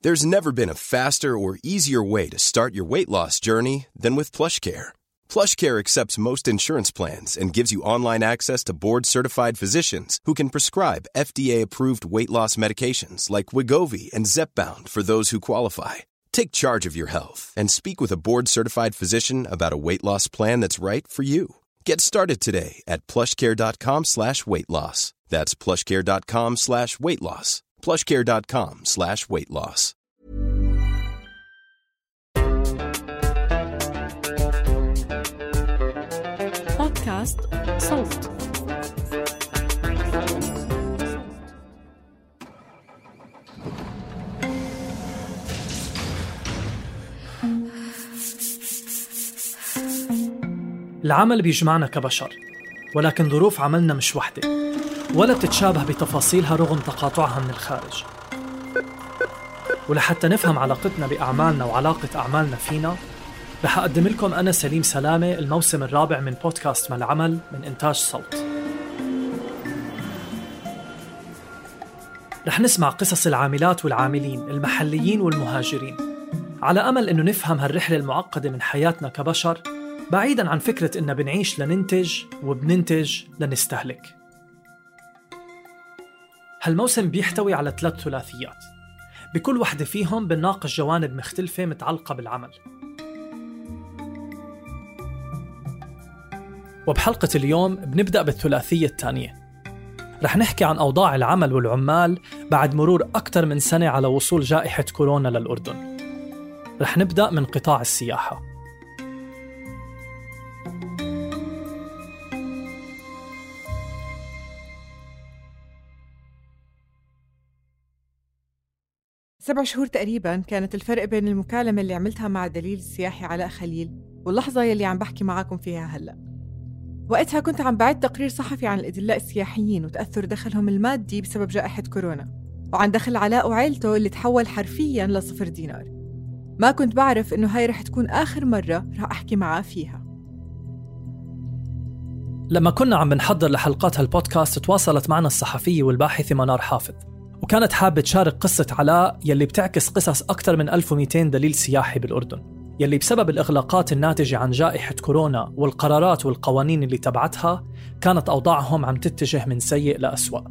There's never been a faster or easier way to start your weight loss journey than with PlushCare. PlushCare accepts most insurance plans and gives you online access to board-certified physicians who can prescribe FDA-approved weight loss medications like Wegovy and Zepbound for those who qualify. Take charge of your health and speak with a board-certified physician about a weight loss plan that's right for you. Get started today at plushcare.com/weight-loss. That's plushcare.com/weight-loss. plushcare.com/weight-loss. بودكاست صوت. العمل بيجمعنا كبشر، ولكن ظروف عملنا مش وحدة ولا بتتشابه بتفاصيلها رغم تقاطعها من الخارج. ولحتى نفهم علاقتنا بأعمالنا وعلاقة أعمالنا فينا، رح أقدم لكم أنا سليم سلامة الموسم الرابع من بودكاست ما العمل من إنتاج صوت. رح نسمع قصص العاملات والعاملين المحليين والمهاجرين، على أمل إنه نفهم هالرحلة المعقدة من حياتنا كبشر، بعيداً عن فكرة إننا بنعيش لننتج وبننتج لنستهلك. هالموسم بيحتوي على 3 ثلاثيات، بكل وحدة فيهم بنناقش جوانب مختلفة متعلقة بالعمل. وبحلقة اليوم بنبدأ بالثلاثية الثانية. رح نحكي عن أوضاع العمل والعمال بعد مرور أكثر من سنة على وصول جائحة كورونا للأردن. رح نبدأ من قطاع السياحة. سبع شهور تقريباً كانت الفرق بين المكالمة اللي عملتها مع الدليل السياحي علاء خليل واللحظة يلي عم بحكي معاكم فيها هلأ. وقتها كنت عم بعد تقرير صحفي عن الأدلاء السياحيين وتأثر دخلهم المادي بسبب جائحة كورونا، وعن دخل علاء وعائلته اللي تحول حرفياً ل0 دينار. ما كنت بعرف إنه هاي رح تكون آخر مرة رح أحكي معاه فيها. لما كنا عم بنحضر لحلقات هالبودكاست تواصلت معنا الصحفية والباحثة منار حافظ، وكانت حابة تشارك قصة علاء يلي بتعكس قصص أكثر من 1200 دليل سياحي بالأردن، يلي بسبب الإغلاقات الناتجة عن جائحة كورونا والقرارات والقوانين اللي تبعتها كانت أوضاعهم عم تتجه من سيء لأسوأ.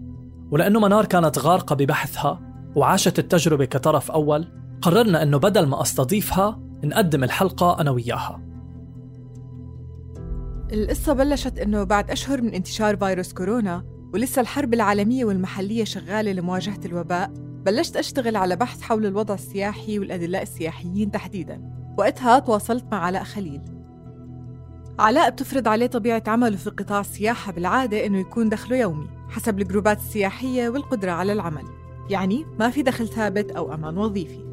ولأنه منار كانت غارقة ببحثها وعاشت التجربة كطرف أول، قررنا أنه بدل ما أستضيفها نقدم الحلقة أنا وياها. القصة بلشت أنه بعد أشهر من انتشار فيروس كورونا ولسه الحرب العالمية والمحلية شغالة لمواجهة الوباء، بلشت أشتغل على بحث حول الوضع السياحي والأدلاء السياحيين تحديداً. وقتها تواصلت مع علاء خليل. علاء بتفرض عليه طبيعة عمله في قطاع السياحة بالعادة إنه يكون دخله يومي حسب الجروبات السياحية والقدرة على العمل، يعني ما في دخل ثابت أو أمان وظيفي.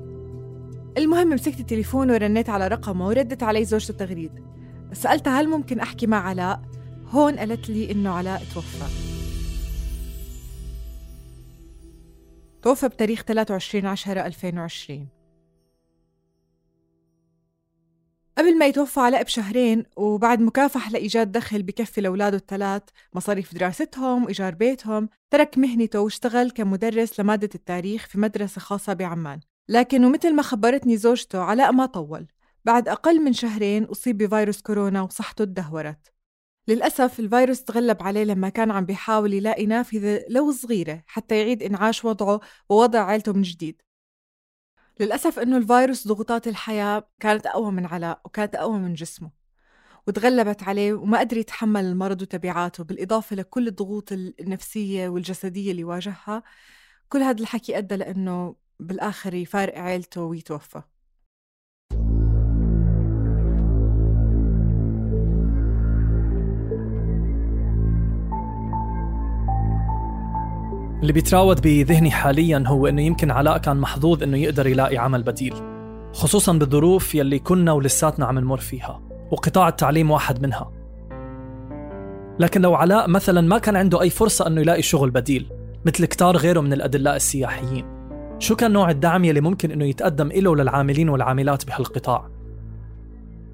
المهم مسكت التليفون ورنيت على رقمه وردت علي زوجته تغريد. سألتها هل ممكن أحكي مع علاء؟ هون قالت لي إنه علاء توفى بتاريخ 23/10/2020. قبل ما يتوفى علاء بشهرين وبعد مكافحة لإيجاد دخل بكفي لأولاده ال3 مصاريف دراستهم وإيجار بيتهم، ترك مهنته واشتغل كمدرس لمادة التاريخ في مدرسة خاصة بعمان. لكن ومثل ما خبرتني زوجته علاء ما طول، بعد أقل من شهرين أصيب بفيروس كورونا وصحته تدهورت. للأسف الفيروس تغلب عليه لما كان عم بيحاول يلاقي نافذة لو صغيرة حتى يعيد إنعاش وضعه ووضع عائلته من جديد. للأسف إنه الفيروس ضغوطات الحياة كانت أقوى من علاء وكانت أقوى من جسمه، وتغلبت عليه وما قدر يتحمل المرض وتبعاته، بالإضافة لكل الضغوط النفسية والجسدية اللي واجهها. كل هذا الحكي أدى لأنه بالآخر يفارق عائلته ويتوفى. اللي بيتراود بذهني حالياً هو إنه يمكن علاء كان محظوظ إنه يقدر يلاقي عمل بديل، خصوصاً بالظروف يلي كنا ولساتنا عم نمر فيها، وقطاع التعليم واحد منها. لكن لو علاء مثلاً ما كان عنده أي فرصة إنه يلاقي شغل بديل مثل كتار غيره من الأدلاء السياحيين، شو كان نوع الدعم يلي ممكن إنه يتقدم إله للعاملين والعاملات بهالقطاع؟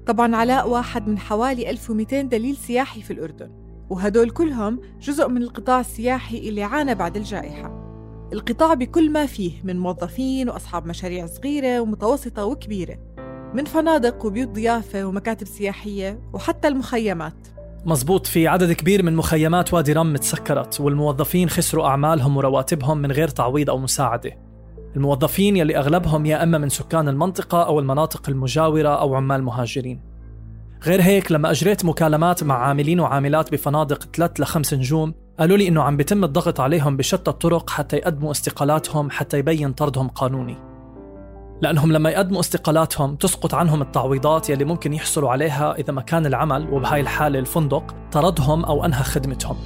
طبعاً علاء واحد من حوالي 1200 دليل سياحي في الأردن، وهدول كلهم جزء من القطاع السياحي اللي عانى بعد الجائحة. القطاع بكل ما فيه من موظفين وأصحاب مشاريع صغيرة ومتوسطة وكبيرة، من فنادق وبيوت ضيافة ومكاتب سياحية وحتى المخيمات. مزبوط، في عدد كبير من مخيمات وادي رم تسكرت، والموظفين خسروا أعمالهم ورواتبهم من غير تعويض أو مساعدة. الموظفين يلي أغلبهم يا أما من سكان المنطقة أو المناطق المجاورة أو عمال مهاجرين. غير هيك، لما أجريت مكالمات مع عاملين وعاملات بفنادق 3 ل 5 نجوم، قالوا لي إنه عم بيتم الضغط عليهم بشتى الطرق حتى يقدموا استقالاتهم حتى يبين طردهم قانوني، لأنهم لما يقدموا استقالاتهم تسقط عنهم التعويضات يلي ممكن يحصلوا عليها إذا مكان العمل، وبهاي الحالة الفندق، طردهم أو أنهى خدمتهم.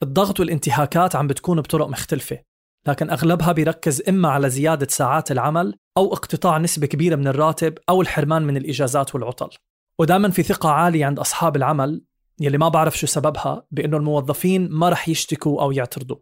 الضغط والانتهاكات عم بتكون بطرق مختلفة، لكن أغلبها بيركز إما على زيادة ساعات العمل أو اقتطاع نسبة كبيرة من الراتب أو الحرمان من الإجازات والعطل. ودائما في ثقة عالية عند أصحاب العمل يلي ما بعرف شو سببها بأنه الموظفين ما رح يشتكوا أو يعترضوا.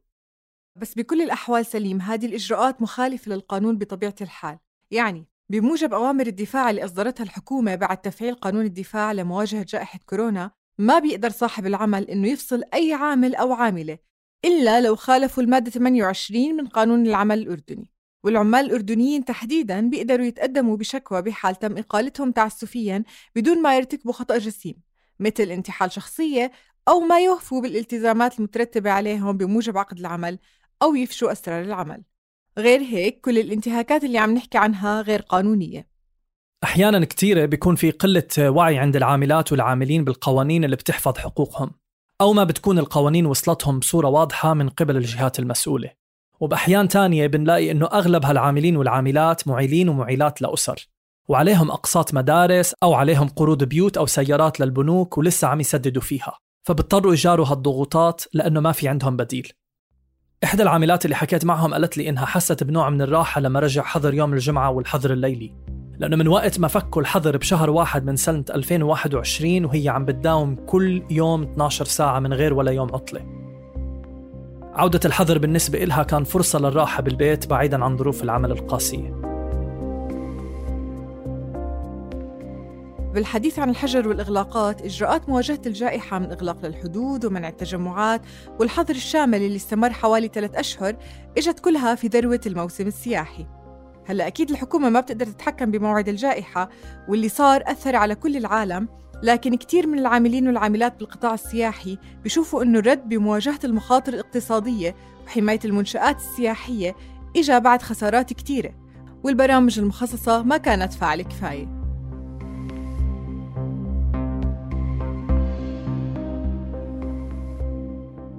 بس بكل الأحوال سليم، هذه الإجراءات مخالفة للقانون بطبيعة الحال. يعني بموجب أوامر الدفاع اللي أصدرتها الحكومة بعد تفعيل قانون الدفاع لمواجهة جائحة كورونا، ما بيقدر صاحب العمل إنه يفصل أي عامل أو عاملة إلا لو خالفوا المادة 28 من قانون العمل الأردني. والعمال الأردنيين تحديداً بيقدروا يتقدموا بشكوى بحال تم إقالتهم تعسفياً بدون ما يرتكبوا خطأ جسيم، مثل انتحال شخصية، أو ما يوفوا بالالتزامات المترتبة عليهم بموجب عقد العمل، أو يفشوا أسرار العمل. غير هيك، كل الانتهاكات اللي عم نحكي عنها غير قانونية. أحياناً كتيرة بيكون في قلة وعي عند العاملات والعاملين بالقوانين اللي بتحفظ حقوقهم، أو ما بتكون القوانين وصلتهم بصورة واضحة من قبل الجهات المسؤولة. وبأحيان تانية بنلاقي إنه أغلب هالعاملين والعاملات معيلين ومعيلات لأسر، وعليهم أقساط مدارس أو عليهم قروض بيوت أو سيارات للبنوك ولسه عم يسددوا فيها، فبضطروا يجاروا هالضغوطات لأنه ما في عندهم بديل. إحدى العاملات اللي حكيت معهم قالت لي إنها حست بنوع من الراحة لما رجع حظر يوم الجمعة والحظر الليلي، لأنه من وقت ما فكوا الحظر بشهر 1 من سنة 2021 وهي عم بتداوم كل يوم 12 ساعة من غير ولا يوم عطلة. عودة الحظر بالنسبة إلها كان فرصة للراحة بالبيت بعيداً عن ظروف العمل القاسية. بالحديث عن الحجر والإغلاقات، إجراءات مواجهة الجائحة من إغلاق للحدود ومنع التجمعات والحظر الشامل اللي استمر حوالي 3 أشهر إجت كلها في ذروة الموسم السياحي. هلأ أكيد الحكومة ما بتقدر تتحكم بموعد الجائحة، واللي صار أثر على كل العالم، لكن كتير من العاملين والعاملات بالقطاع السياحي بيشوفوا إنه الرد بمواجهة المخاطر الاقتصادية وحماية المنشآت السياحية إجا بعد خسارات كتيرة، والبرامج المخصصة ما كانت فاعلة كفاية.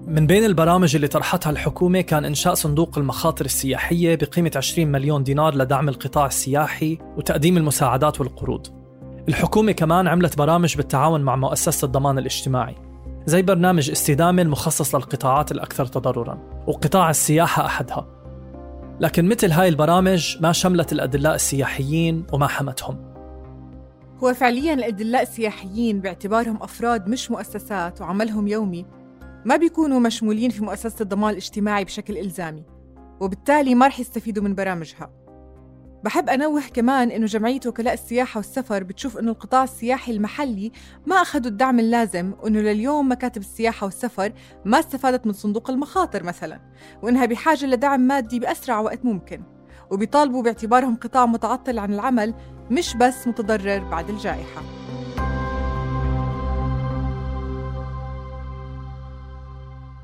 من بين البرامج اللي طرحتها الحكومة كان إنشاء صندوق المخاطر السياحية بقيمة 20 مليون دينار لدعم القطاع السياحي وتقديم المساعدات والقروض. الحكومة كمان عملت برامج بالتعاون مع مؤسسة الضمان الاجتماعي، زي برنامج استدامة المخصص للقطاعات الأكثر تضرراً، وقطاع السياحة أحدها. لكن مثل هاي البرامج ما شملت الأدلاء السياحيين وما حمتهم. هو فعلياً الأدلاء السياحيين باعتبارهم أفراد مش مؤسسات وعملهم يومي ما بيكونوا مشمولين في مؤسسة الضمان الاجتماعي بشكل إلزامي، وبالتالي ما رح يستفيدوا من برامجها. بحب أنوه كمان إنه جمعية وكلاء السياحة والسفر بتشوف إنه القطاع السياحي المحلي ما أخذوا الدعم اللازم، وإنه لليوم مكاتب السياحة والسفر ما استفادت من صندوق المخاطر مثلاً، وإنها بحاجة لدعم مادي بأسرع وقت ممكن، وبيطالبوا باعتبارهم قطاع متعطل عن العمل مش بس متضرر بعد الجائحة.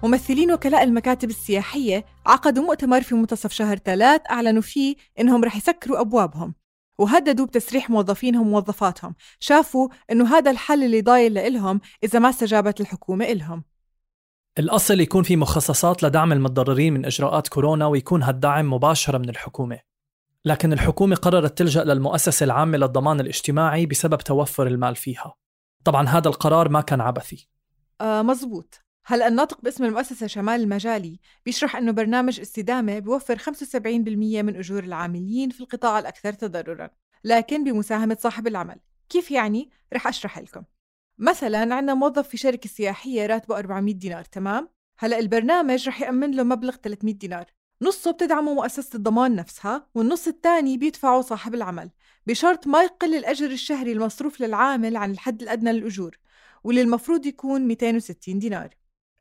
ممثلين وكلاء المكاتب السياحية عقدوا مؤتمر في منتصف شهر 3 أعلنوا فيه إنهم رح يسكروا أبوابهم، وهددوا بتسريح موظفينهم وموظفاتهم. شافوا إنه هذا الحل اللي ضايل لإلهم إذا ما استجابت الحكومة إلهم. الأصل يكون في مخصصات لدعم المتضررين من إجراءات كورونا، ويكون هالدعم مباشرة من الحكومة، لكن الحكومة قررت تلجأ للمؤسسة العامة للضمان الاجتماعي بسبب توفر المال فيها. طبعا هذا القرار ما كان عبثي. مزبوط. هلأ الناطق باسم المؤسسة شمال المجالي بيشرح أنه برنامج استدامة بيوفر 75% من أجور العاملين في القطاع الأكثر تضرراً، لكن بمساهمة صاحب العمل. كيف يعني؟ رح أشرح لكم. مثلاً عندنا موظف في شركة سياحية راتبه 400 دينار، تمام؟ هلأ البرنامج رح يأمن له مبلغ 300 دينار، نصه بتدعمه مؤسسة الضمان نفسها، والنص الثاني بيدفعه صاحب العمل، بشرط ما يقل الأجر الشهري المصروف للعامل عن الحد الأدنى للأجور، واللي المفروض يكون 260 دينار.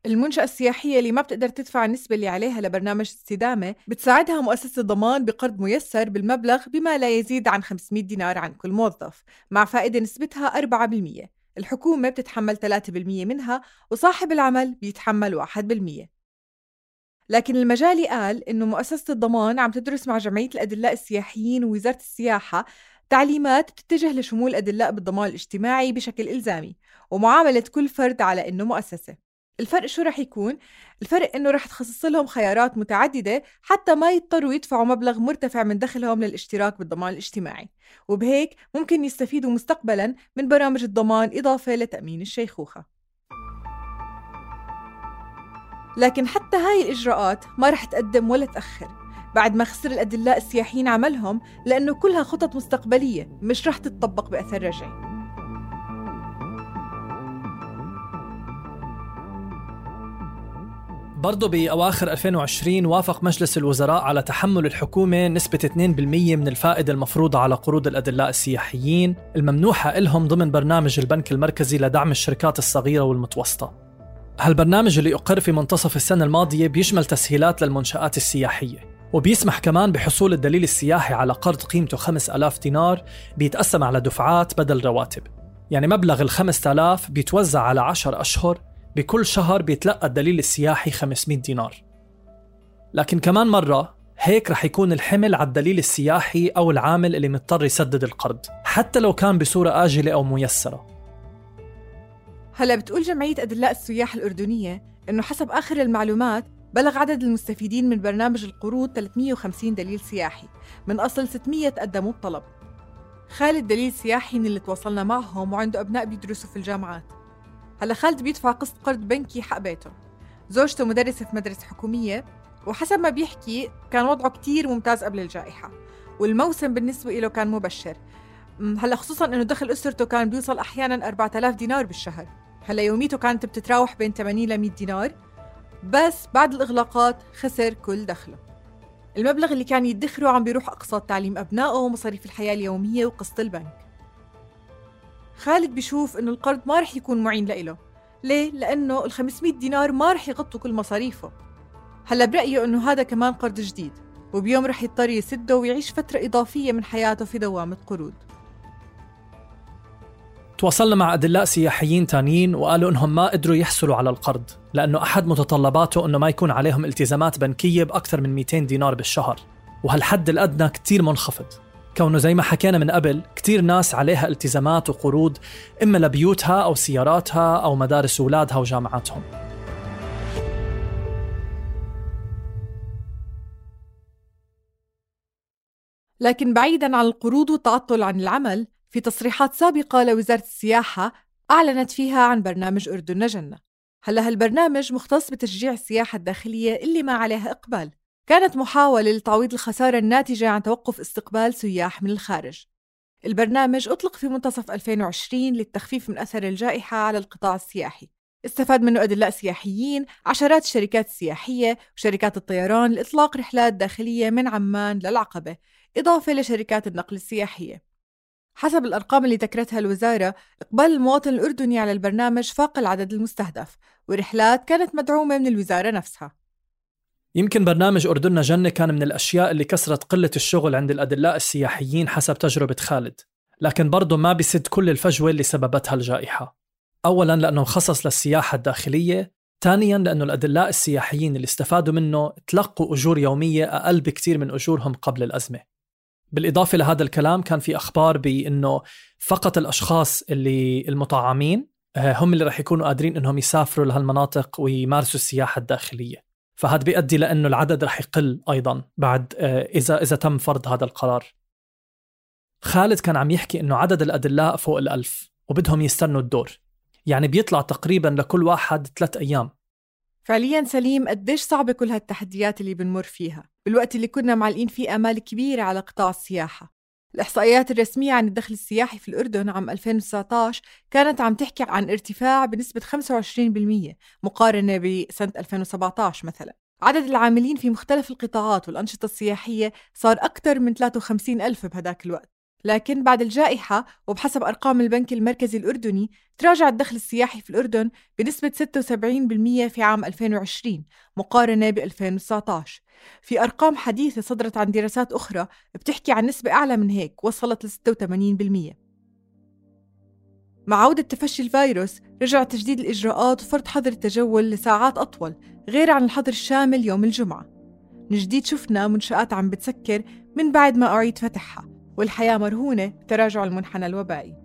المنشأة السياحية اللي ما بتقدر تدفع النسبة اللي عليها لبرنامج الاستدامة بتساعدها مؤسسة الضمان بقرض ميسر بالمبلغ بما لا يزيد عن 500 دينار عن كل موظف مع فائدة نسبتها 4%. الحكومة بتتحمل 3% منها وصاحب العمل بيتحمل 1%. لكن المجالي قال إنه مؤسسة الضمان عم تدرس مع جمعية الأدلاء السياحيين ووزارة السياحة تعليمات تتجه لشمول الأدلاء بالضمان الاجتماعي بشكل إلزامي ومعاملة كل فرد على إنه مؤسسة. الفرق شو رح يكون؟ الفرق إنه رح تخصص لهم خيارات متعددة حتى ما يضطروا يدفعوا مبلغ مرتفع من دخلهم للاشتراك بالضمان الاجتماعي، وبهيك ممكن يستفيدوا مستقبلاً من برامج الضمان إضافة لتأمين الشيخوخة. لكن حتى هاي الإجراءات ما رح تقدم ولا تأخر بعد ما خسر الأدلاء السياحيين عملهم، لأنه كلها خطط مستقبلية مش رح تتطبق بأثر رجعي. برضو بأواخر 2020 وافق مجلس الوزراء على تحمل الحكومة نسبة 2% من الفائدة المفروضة على قروض الأدلاء السياحيين الممنوحة لهم ضمن برنامج البنك المركزي لدعم الشركات الصغيرة والمتوسطة. هالبرنامج اللي أقر في منتصف السنة الماضية بيشمل تسهيلات للمنشآت السياحية، وبيسمح كمان بحصول الدليل السياحي على قرض قيمته 5000 دينار بيتقسم على دفعات بدل رواتب. يعني مبلغ 5000 بيتوزع على 10 أشهر، بكل شهر بيتلقى الدليل السياحي 500 دينار. لكن كمان مرة هيك رح يكون الحمل على الدليل السياحي أو العامل اللي مضطر يسدد القرض حتى لو كان بصورة آجلة أو ميسرة. هلأ بتقول جمعية أدلاء السياح الأردنية إنه حسب آخر المعلومات بلغ عدد المستفيدين من برنامج القروض 350 دليل سياحي من أصل 600 قدموا بطلب. خالد دليل سياحي اللي تواصلنا معهم وعنده أبناء بيدرسوا في الجامعات. هلا خالد بيدفع قسط قرض بنكي حق بيته، زوجته مدرسة في مدرسة حكومية، وحسب ما بيحكي كان وضعه كتير ممتاز قبل الجائحة والموسم بالنسبة له كان مبشر. هلا خصوصا انه دخل اسرته كان بيوصل احيانا 4000 دينار بالشهر. هلا يوميته كانت بتتراوح بين 80 ل 100 دينار، بس بعد الاغلاقات خسر كل دخله. المبلغ اللي كان يدخره عم بيروح اقساط تعليم ابنائه ومصاريف الحياة اليومية وقسط البنك. خالد بيشوف إنه القرض ما رح يكون معين لإله. ليه؟ لأنه 500 دينار ما رح يغطوا كل مصاريفه. هلا برأيه إنه هذا كمان قرض جديد، وبيوم رح يضطر يسده ويعيش فترة إضافية من حياته في دوامة قروض. تواصلنا مع أدلاء سياحيين تانيين وقالوا إنهم ما قدروا يحصلوا على القرض لأنه أحد متطلباته إنه ما يكون عليهم التزامات بنكية بأكثر من 200 دينار بالشهر، وهالحد الأدنى كتير منخفض، كونه زي ما حكينا من قبل كتير ناس عليها التزامات وقروض إما لبيوتها أو سياراتها أو مدارس أولادها وجامعاتهم. لكن بعيداً عن القروض والتعطل عن العمل، في تصريحات سابقة لوزارة السياحة أعلنت فيها عن برنامج أردن جنة. هلا هالبرنامج مختص بتشجيع السياحة الداخلية اللي ما عليها إقبال، كانت محاولة لتعويض الخسارة الناتجة عن توقف استقبال سياح من الخارج. البرنامج أطلق في منتصف 2020 للتخفيف من أثر الجائحة على القطاع السياحي. استفاد منه أدلاء سياحيين، عشرات الشركات السياحية وشركات الطيران لإطلاق رحلات داخلية من عمان للعقبة، إضافة لشركات النقل السياحية. حسب الأرقام اللي ذكرتها الوزارة، إقبال المواطن الأردني على البرنامج فاق العدد المستهدف، ورحلات كانت مدعومة من الوزارة نفسها. يمكن برنامج أردن جنة كان من الأشياء اللي كسرت قلة الشغل عند الأدلاء السياحيين حسب تجربة خالد، لكن برضو ما بيسد كل الفجوة اللي سببتها الجائحة. أولاً لأنه خصص للسياحة الداخلية، ثانياً لأنه الأدلاء السياحيين اللي استفادوا منه تلقوا أجور يومية أقل بكتير من أجورهم قبل الأزمة. بالإضافة لهذا الكلام كان في أخبار بأنه فقط الأشخاص اللي المطعمين هم اللي رح يكونوا قادرين أنهم يسافروا لهالمناطق ويمارسوا السياحة الداخلية، فهذا بيؤدي لأنه العدد رح يقل أيضاً بعد إذا تم فرض هذا القرار. خالد كان عم يحكي أنه عدد الأدلاء فوق 1000 وبدهم يستنوا الدور، يعني بيطلع تقريباً لكل واحد 3 أيام. فعلياً سليم، قديش صعبة كل هالتحديات اللي بنمر فيها بالوقت اللي كنا معلقين فيه آمال كبيرة على قطاع السياحة. الإحصائيات الرسمية عن الدخل السياحي في الأردن عام 2019 كانت عم تحكي عن ارتفاع بنسبة 25% مقارنة بسنة 2017 مثلاً. عدد العاملين في مختلف القطاعات والأنشطة السياحية صار أكثر من 53,000 بهداك الوقت. لكن بعد الجائحة وبحسب أرقام البنك المركزي الأردني تراجع الدخل السياحي في الأردن بنسبة 76% في عام 2020 مقارنة ب 2019. في أرقام حديثة صدرت عن دراسات أخرى بتحكي عن نسبة أعلى من هيك وصلت ل 86%. مع عودة تفشي الفيروس رجع تجديد الإجراءات وفرض حظر التجول لساعات أطول غير عن الحظر الشامل يوم الجمعة. من جديد شفنا منشآت عم بتسكر من بعد ما أعيد فتحها، والحياة مرهونة بتراجع المنحنى الوبائي.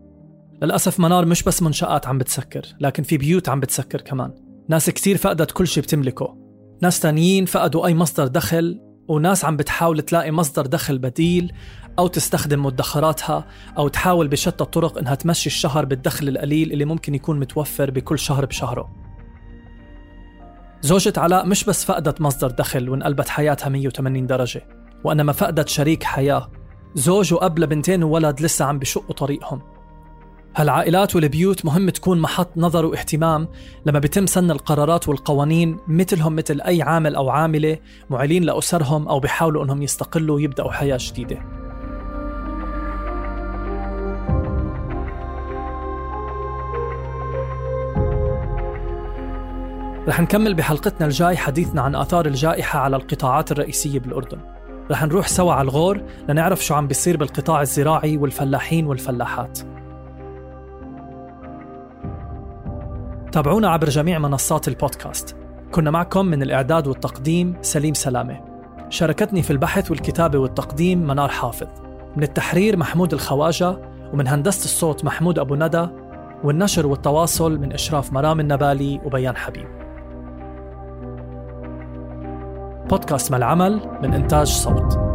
للأسف منار مش بس منشآت عم بتسكر، لكن في بيوت عم بتسكر كمان. ناس كتير فقدت كل شي بتملكه، ناس تانيين فقدوا أي مصدر دخل، وناس عم بتحاول تلاقي مصدر دخل بديل أو تستخدم مدخراتها أو تحاول بشتى الطرق إنها تمشي الشهر بالدخل القليل اللي ممكن يكون متوفر بكل شهر بشهره. زوجة علاء مش بس فقدت مصدر دخل وانقلبت حياتها 180 درجة، وإنما فقدت شريك حياة، زوج وأب لبنتين وولد لسه عم بشقوا طريقهم. هالعائلات والبيوت مهم تكون محط نظر واهتمام لما بيتم سن القرارات والقوانين مثلهم مثل أي عامل أو عاملة معيلين لأسرهم أو بيحاولوا أنهم يستقلوا ويبدأوا حياة جديدة. رح نكمل بحلقتنا الجاي حديثنا عن آثار الجائحة على القطاعات الرئيسية بالأردن. رح نروح سوا على الغور لنعرف شو عم بيصير بالقطاع الزراعي والفلاحين والفلاحات. تابعونا عبر جميع منصات البودكاست. كنا معكم من الإعداد والتقديم سليم سلامة، شاركتني في البحث والكتابة والتقديم منار حافظ، من التحرير محمود الخواجة، ومن هندسة الصوت محمود أبو ندى، والنشر والتواصل من إشراف مرام النبالي وبيان حبيب. بودكاست ما العمل من إنتاج صوت.